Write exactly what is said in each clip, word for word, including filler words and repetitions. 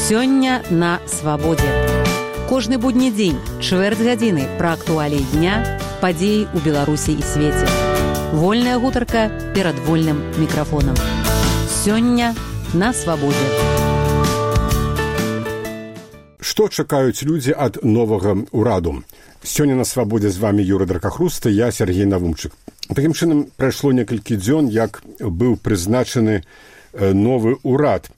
Сёння на свабодзе. Кожны будні дзень, чвэрць гадзіны пра актуаліі дня, падзеі ў Беларусі і свеце. Вольная гутарка перад вольным мікрафонам. Сёння на свабодзе. Што чакаюць людзі ад новага ўраду? Сёння на свабодзе з вами Юрый Дракахруста, я Сергей Навумчык. Такім чынам, прайшло некалькі дзён, як быў прызначаны новы ўрад.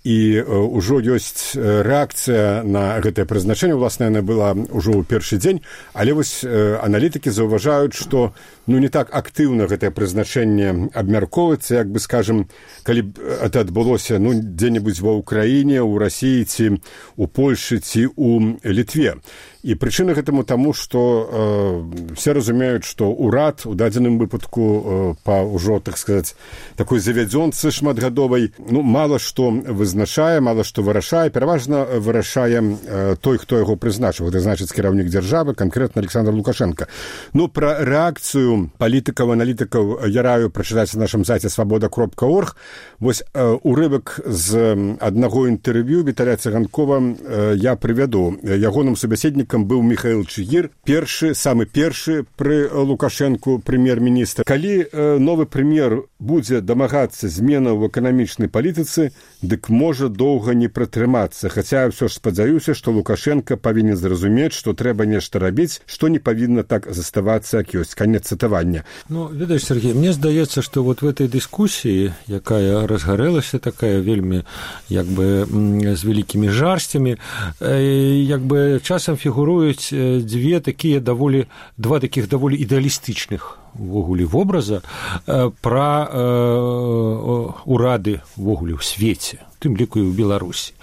І ўжо ёсць рэакцыя на гэтае прызначэнне. Уласна, яна была ўжо ў першы дзень, але вось аналітыкі заўважаюць, што ну, не так актыўна гэтае прызначэнне абмяркоўваецца, як бы, скажем, калі б это адбылося ну, дзе-небудзь ва ўкраіне, у Расіі ці у Польшы ці у Літве. І прычына гэтаму таму, што э, все разумеюць, што ўрад у дадзеным выпадку э, па ўжо, так сказаць, такой завядзёнцы шматгадовай, ну, мала што вызначае, мала што вырашае, пераважна вырашае э, той, хто яго прызначыў. Гэта значыць кіраўнік дзяржавы, канкрэтна Александр Лукашенко. Ну, пра рэакцыю палітыкаў, аналітыкаў я раю прачытаць на нашым сайце свабода кропка орг. Вось э, урывак з аднаго інтэрв'ю Віталія Цыганкова э, я прывяду. Ягоным субяседнікам быў Міхаіл Чыгір, першы, самы першы пры Лукашэнку прэм'ер-міністр. Калі э, новы прэм'ер будзе дамагацца зменаў у эканамічнай палітыцы, дык можа доўга не пратрымацца. Хаця я ўсё ж спадзяюся, што Лукашенко павінен зразумець, што трэба нешта рабіць, што не павінна так заставацца, як ёсць. Канец цытавання. Ну, ведаеш, Сергей, мне здаецца, што вот в этой дыскусіі, якая разгарэлася такая вельмі, як бы, з вялікімі жарсцямі, э, як бы часам фігуруюць дзве такія даволі, два такіх даволі ідэалістычных увогуле вобраза э, пра э, урады увогуле ў свеце, тым ліку і ў Беларусі.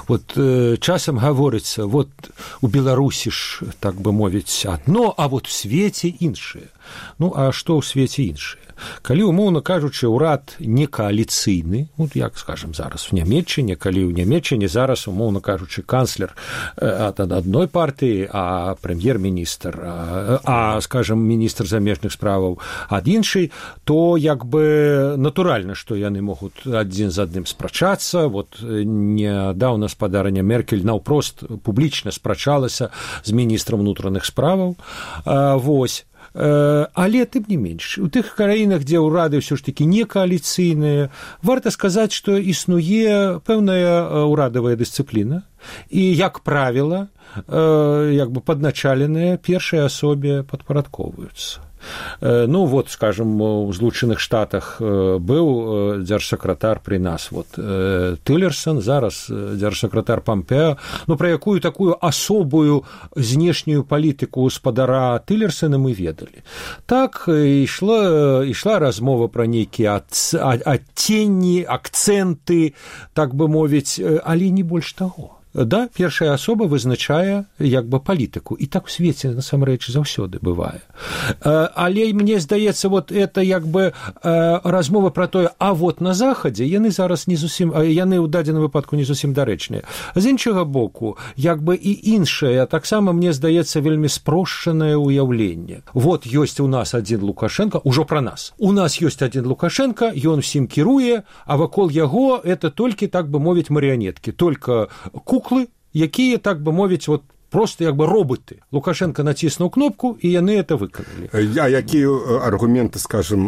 Вот э, часам гаворыцца, вот у Беларусі ж, так бы мовіць, адно, а вот у свеце іншае. Ну, а што ў свеце іншае? Калі, умоўна кажучы, ўрад не кааліцыйны, ну, як, скажем, зараз в Нямецчыне, калі ў Нямецчыне зараз, умоўна кажучы, канцлер ад адной партыі, а прэм'ер-міністр, а, а, скажем, міністр замежных справаў ад іншай, то, як бы, натуральна, што яны могуць адзін з адным спрачацца. Вот нядаўна спадарня Меркель наўпрост публічна спрачалася з міністрам унутраных справаў. А, вось. Але, тым не менш, у тых краінах, дзе ўрады ўсё ж такі не кааліцыйныя, варта сказаць, што існуе пэўная ўрадавая дысцыпліна, і, як правіла, як бы падначаленыя першай асобе падпарадкоўваюцца. Ну, вот, скажем, у Злучаных Штатах быў дзяржсакратар пры нас, вот, Тиллерсон, зараз дзяржсакратар Помпео, ну, пра якую такую асобую знешнюю палітыку спадара Тиллерсона мы ведалі. Так, ішла, ішла размова пра нейкія адценні, акцэнты, так бы мовіць, але не больш таго. Да, першая асоба вызначае як бы палітыку, і так у свеце насамрэч заўсёды бывае. Але мне здаецца, вот это як бы размова пра тое, а вот на захадзе яны зараз не зусім, яны ў дадзеным выпадку не зусім дарэчныя. З іншага боку, як бы і іншае, таксама мне здаецца вельмі спрошчанае ўяўленне. Вот ёсць у нас адзін Лукашенко, ужо пра нас. У нас ёсць адзін Лукашенко, ён усім кіруе, а вакол яго это толькі, так бы мовіць, марыянеткі, только куклы, якія, так бы мовіць, вот просто як бы роботы. Лукашенко націснуў кнопку, і яны это выканалі. А якія аргументы, скажем,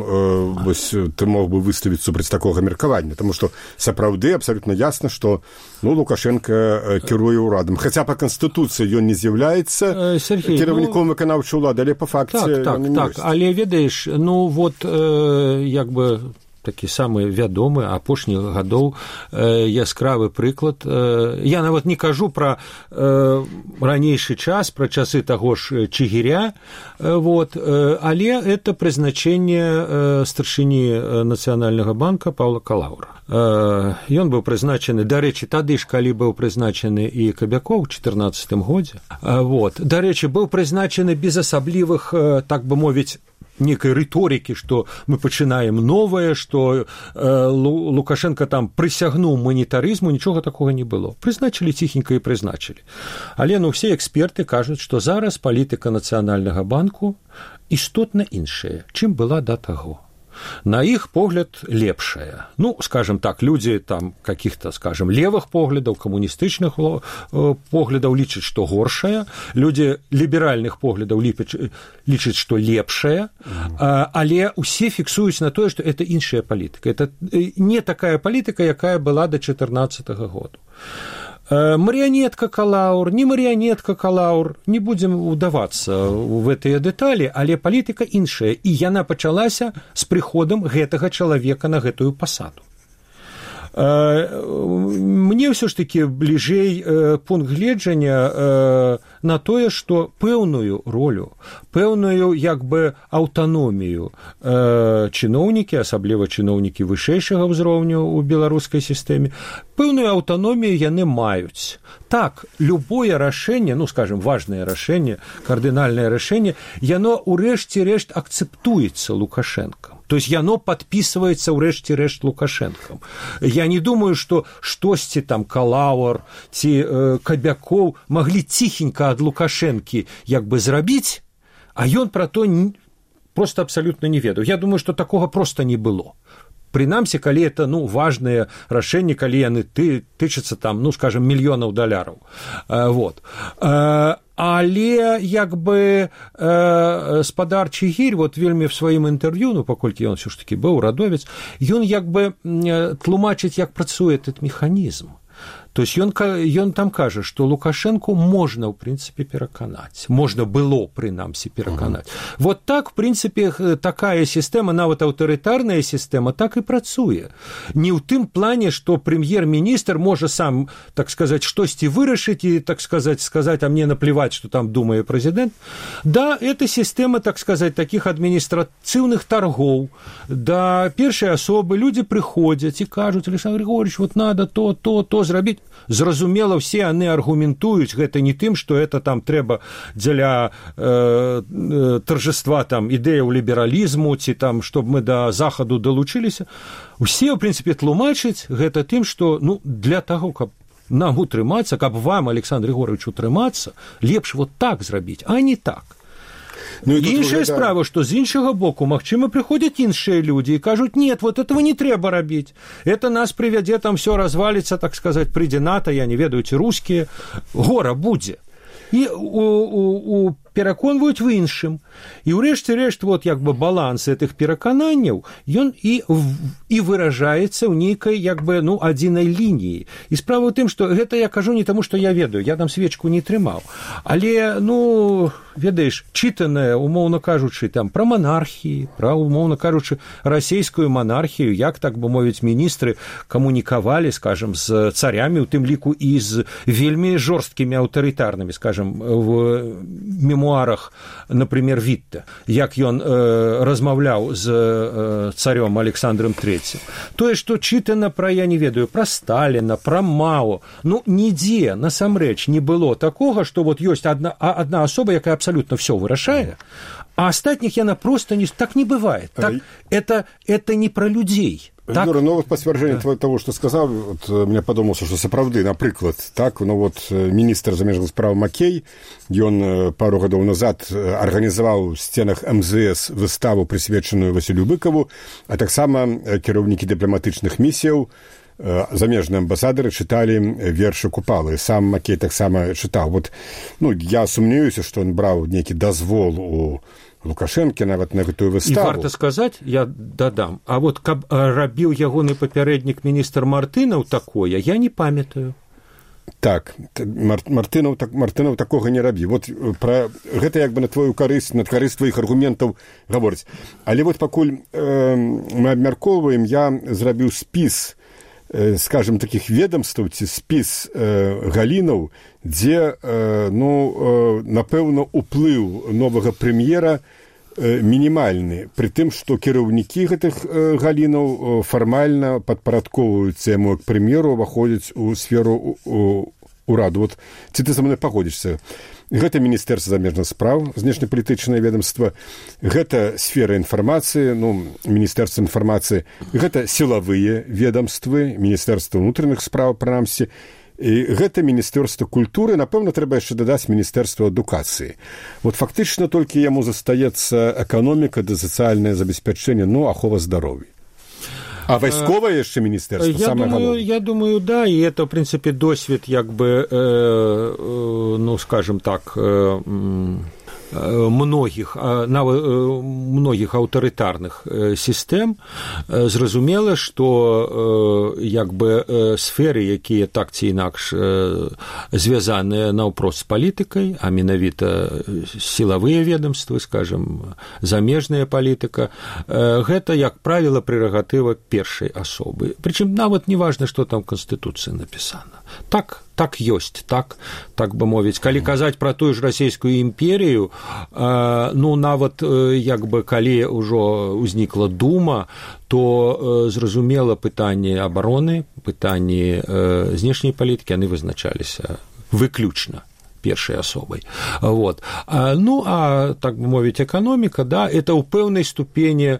вось ты мог бы выставіць супраць такога меркавання? Таму што сапраўды абсалютна ясна, што ну, Лукашенко кіруе ўрадам. Хаця па Канстытуцыі ён не з'яўляецца кіраўніком выканаўчай улады, але па факце так, так, так. Але ведаеш, ну вот э, як бы такі самы вядомы апошніх гадоў э, яскравы прыклад. Э, я нават не кажу пра э, ранейшы час, пра часы таго ж Чыгіря, э, вот, э, але это прызначэнне э, старшыні Нацыянальнага банка Паўла Калаўра. Э, ён быў прызначаны, дарэчы, тады ж, калі быў прызначаны і Кабякоў у чатырнаццатым годзе. Э, вот, дарэчы, быў прызначаны без асаблівых, э, так бы мовіць, некой рыторыкі, што мы пачынаем новае, што э, Лукашенко там прысягнуў манетарызму, нічога такога не было. Прызначылі ціхенька і прызначылі. Але ну, все эксперты кажуць, што зараз палітыка Нацыянальнага банку істотна іншая, чым была да таго. на іх погляд лепшая. Ну, скажем так, людзі там каких-то, скажем, левых поглядаў, камуністычных поглядаў лічаць, што горшая, людзі ліберальных поглядаў лічаць, што лепшая, але ўсе фіксуюць на тое, што это іншая палітыка. Это не такая палітыка, якая была да чатырнаццатага году. Марионетка Калаур, не марионетка Калаур, не будем удавацца в гэтыя дэталі, але палітыка іншая, і яна пачалася з прыходам гэтага чалавека на гэтую пасаду. Мне ўсё ж такі бліжэй пункт гледжання на тое, што пэўную ролю, пэўную як бы аўтаномію чыноўнікі, асабліва чыноўнікі вышэйшага ўзроўню ў беларускай сістэме, пэўную аўтаномію яны маюць. Так, любое рашэнне, ну, скажем, важнае рашэнне, кардынальнае рашэнне, яно ўрэшце рэшт акцэптуецца Лукашэнкам. То есть яно подписывается ўрэшце-рэшт Лукашэнкам. Я не думаю, што штосьці там Калаур ці э, Кабякоў маглі ціхенька ад Лукашэнкі як бы зрабіць, а ён пра то не, просто абсалютна не ведаў. Я думаю, што такога просто не было. Прынамсі, калі это, ну, важныя рашэнні, калі яны ты, тычацца там, ну, скажем, мільёнаў даляраў. Э, вот. Э, Але як бы э, спадарчы гірь, вот вельмі в сваім інтэрв'ю, ну, паколькі ён ўсё ж такі быў радовец, ён як бы тлумачыць, як працуе этот механізм. То есть ён, ён там кажа, што Лукашэнку можна, ў прынцыпе, пераканаць. Можна было, прынамсі, пераканаць. Uh-huh. Вот так, в прынцыпе, такая сістэма, нават аўтарытарная сістэма, так і працуе. Не ў тым плане, што прэм'ер-міністр можа сам, так сказаць, штосьці вырашыць і, так сказаць, сказаць, а мне наплевать, што там думае прэзідэнт. Да, это сістэма, так сказаць, такіх адміністрацыўных таргоў. Да першай асобы людзі прыходзяць і кажуць: Александр Григорьевич, вот надо то, то, то зрабіць. Зразумела, все яны аргументуюць гэта не тым, што это там трэба дзеля э, торжества там ідэяў лібералізму ці там, чтобы мы да захаду далучыліся. Усе, ў прынцыпе, тлумачаць гэта тым, што, ну, для таго, каб нам утрымацца, каб вам, Александр Григорьевич, утрымацца, лепш вот так зрабіць, а не так. Ну, іншая выглядає... справа, што з іншага боку, магчыма, прыходзяць іншыя людзі і кажуць: нет, вот этого не трэба рабіць. Это нас прывядзе, там все разваліцца, так сказаць, прыйдзе НАТО, я не ведаю, ці рускія, гора будзе. І у, у, у пераконваюць в іншым. І ўрэшце-рэшт, вот як бы баланс гэтых перакананняў, ён і, і выражаецца ў нейкай як бы, ну, адзінай лініі. І справа ў тым, што гэта я кажу не таму, што я ведаю, я там свечку не трымаў. Але, ну, ведаеш, чытанае, умоўна кажучы, там пра манархіі, пра, умоўна кажучы, расійскую манархію, як, так бы мовіць, міністры камунікавалі, скажем, з царямі, у тым ліку і з вельмі жорсткімі аўтарытарнымі, скажем, в мемуарах, например, Вітта, як ён э, размаўляў з э, царём Александром трэцім. Тое, што чытана пра, я не ведаю, пра Сталіна, пра Мао, ну, нідзе, насамрэч, не было такога, што вот ёсць адна, адна асоба, якая абсалютна ўсё вырашае, а астатніх яна просто не... Так не бывает. Так, это, это не пра людзей. Так? Юра, ну, вот пацвярджэнне да. того, што сказаў, вот, мне падумалася, што сапраўды, напрыклад, так, ну, вот, міністр замежных спраў Макей, ён пару гадоў назад арганізаваў в сценах эм зэ эс выставу, прысвечаную Васілю Быкаву, а таксама кіраўнікі дыпламатычных місіяў, замежныя амбасадары чыталі вершы Купалы. Сам Макей таксама чытаў. Вот, ну, я сумнеюся, што ён браў нейкі дазвол у Лукашэнкі нават на гэтую выставу. І варта сказаць, я дадам, а вот каб рабіў ягоны папярэднік міністр Мартынаў такое, я не памятаю. Так, Мар, Мартынаў, так, Мартынаў такога не рабі. Вот пра гэта як бы на твою карысць, на карысць тваіх аргументаў гаворыць. Але вот пакуль э, мы абмяркоўваем, я зрабіў спіс, э, скажем, такіх ведомстваў ці спіс э, галінаў, дзе, э, ну, э, напэўна, уплыў новага прэм'ера э, мінімальны, пры тым, што кіраўнікі гэтых э, галінаў э, фармальна падпарадковваюцца яму к прэм'еру, уваходзяць у сферу у, ураду. Вот, ці ты са мной пагодзішся? Гэта Міністэрства замежных спраў, знешнепалітычнае ведомства, гэта сфера інфармацыі, ну, Міністэрства інфармацыі, гэта сілавыя ведомствы, Міністэрства ўнутраных спраў, прынамсі, І гэта міністэрства культуры, напэўна, трэба яшчэ дадаць міністэрства адукацыі. Вот фактычна толькі яму застаецца эканоміка ды сацыяльнае забеспячэнне, ну, ахова здароўя. А вайсковае яшчэ міністэрства, я самае думаю, галоўнае? Я думаю, да, и это, в принципе, досвід, як бы, э, э, ну, скажем так, э, многіх, многіх аўтарытарных сістэм. Зразумела, што як бы сферы, якія так ці інакш звязаныя наўпрост з палітыкай, а менавіта сілавыя ведомствы, скажем, замежная палітыка, гэта, як правіла, прэрагатыва першай асобы. Прычым нават не важна, што там у Канстытуцыі напісана. Так, так ёсць, так, так бы мовіць. Калі казаць пра тую ж расійскую імперію, э, ну, нават, э, як бы, калі ўжо ўзнікла дума, то э, зразумела пытанні абароны, пытанні э, знешняй палітыкі, яны вызначаліся выключна першай асобай. Вот. А, ну, а, так бы мовіць, эканоміка, да, это ў пэўнай ступені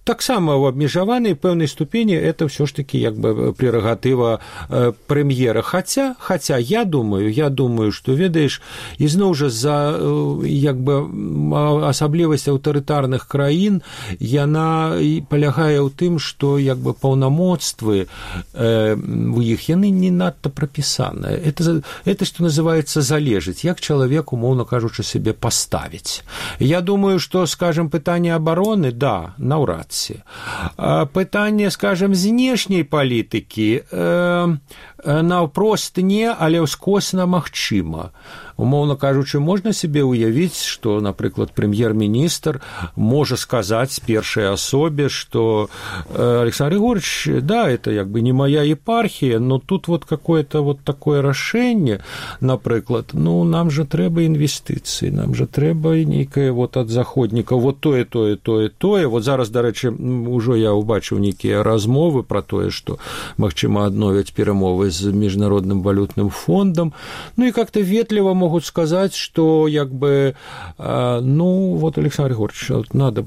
таксама ў абмежаванай пэўнай ступені это ўсё ж такі як бы прерагатыва э, прэм'ера. Хаця, хаця я думаю, я думаю, што ведаеш, ізноў жа за э, як бы асаблівасць аўтарытарных краін яна палягае ў тым, што як бы паўнамоцтвы э, у іх яны не надта прапісаныя. Это, это што называецца залежыць, як чалавек, умоўна кажучы, сябе паставіць. Я думаю, што, скажем, пытанне абароны, да, на наўрад ці. Пытанне, скажем, знешняй палітыкі э, наўпрост не, але ўскосна магчыма. Умоўна кажучы, можна себе уявіць, што, напрыклад, прэм'ер-міністр можа сказаць першай асобе, што Александр Григорьевич, да, это як бы не моя епархія, но тут вот какое-то вот такое рашэнне, напрыклад, ну, нам же трэба інвестыцыі, нам же трэба нейкае вот ад заходнікаў, вот тое, тое, тое, тое. Вот зараз, дарэчы, ужо я ўбачыў нейкія размовы пра тое, што, магчыма, адновяць перамовы з міжнародным валютным фондам, ну і как-то ветліва могуць сказать, что, як бы, э, ну, вот, Александр Григорьевич, надо,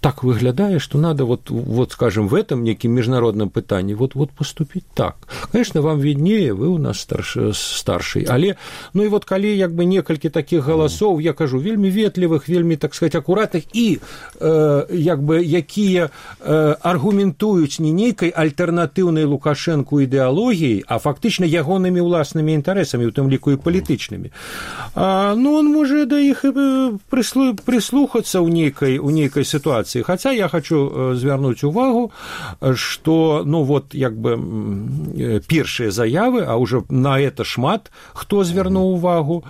так выглядае, что надо, вот, вот, скажем, в этом неким международном пытании, вот, вот поступить так. Конечно, вам виднее, вы у нас старший, старший, але, ну, и вот, калі, як бы, некалькі таких голосов, я кажу, вельмі ветлівых, вельмі, так сказать, аккуратных, и, э, як бы, якія э, аргументуюць не нейкай альтэрнатыўнай Лукашэнку ідэалогіяй, а фактычна ягонымі ўласнымі інтарэсамі, у тым ліку і палітычнымі. А, ну, он можа да іх прислу, прислухацца ў нейкай, у нейкай сітуацыі. Хотя я хочу звярнуць увагу, што, ну, вот, як бы, першыя заявы, а уже на это шмат хто звярнуў увагу,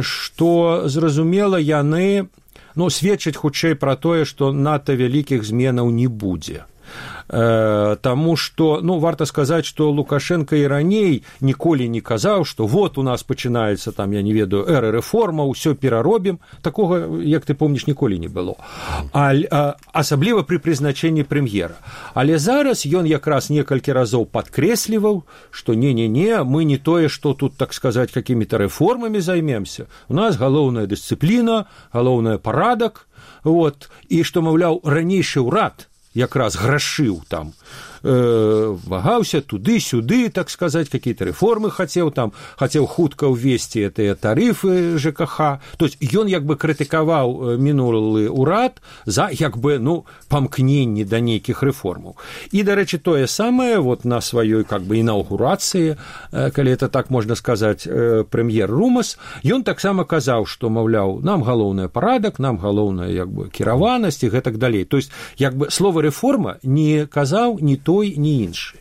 што, зразумела, яны, ну, сведчаць хутчэй пра тое, што надта вялікіх зменаў не будзе. Таму што, ну, варта сказаць, што Лукашенко і раней ніколі не казаў, што вот у нас пачынаецца там, я не ведаю, эра рэформа, ўсё пераробім. Такога, як ты помніш, ніколі не было. А, а, асабліва пры прызначэнні прэм'ера. Але зараз ён якраз некалькі разоў падкрэсліваў, што не-не-не, мы не тое, што тут, так сказаць, какімі-то рэформамі займемся. У нас галоўная дысцыпліна, галоўная парадак, вот, і што, маўляў, ранейшы ўрад якраз грашыў там, э, вагаўся туды-сюды, так сказаць, какие-то рэформы хацеў там, хацеў хутка ўвесці гэтыя тарыфы ЖКХ. То есть ён як бы крытыкаваў мінулы ўрад за як бы, ну, памкненні да нейкіх рэформаў. І, дарэчы, тое самае вот на сваёй как бы інаўгурацыі, э, калі это так можна сказаць, э, прэм'ер Румас, ён таксама казаў, што, маўляў, нам галоўнае парадак, нам галоўная як бы кіраванасць і гэтак далей. То есть як бы слова рэформа не казаў ні той, ні іншы.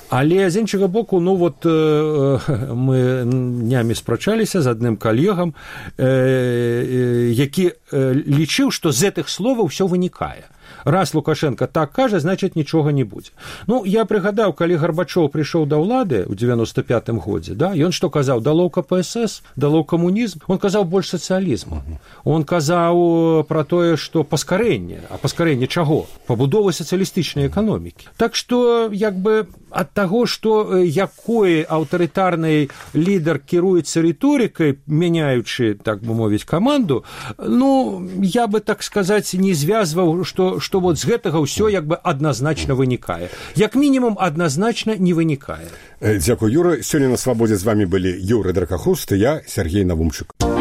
Але з іншага боку, ну вот э, мы днямі спрачаліся з адным калегам, э, э, які э, лічыў, што з гэтых словаў ўсё вынікае. Раз Лукашенко так кажа, значит, нічога не будзе. Ну, я прыгадаў, калі Гарбачоў прыйшоў да ўлады ў девяносто пятым годзе, да, ён што казаў, дало КПСС, дало камунізм, он казаў больш сацыялізму. Он казаў пра тое, што паскарэнне, а паскарэнне чаго? Пабудовы сацыялістычнай эканомікі. Так што, як бы, ад таго, што якой аўтарытарны лідар кіруецца рыторыкай, мяняючы, так бы мовіць, каманду, ну, я бы, так сказаць, не звязваў, што што, што вот з гэтага ўсё як бы адназначна вынікае. Як мінімум адназначна не вынікае. Дзякуй, Юра. Сёння на свабодзе з вамі былі Юры Дракахруст і я, Сергей Навумчык.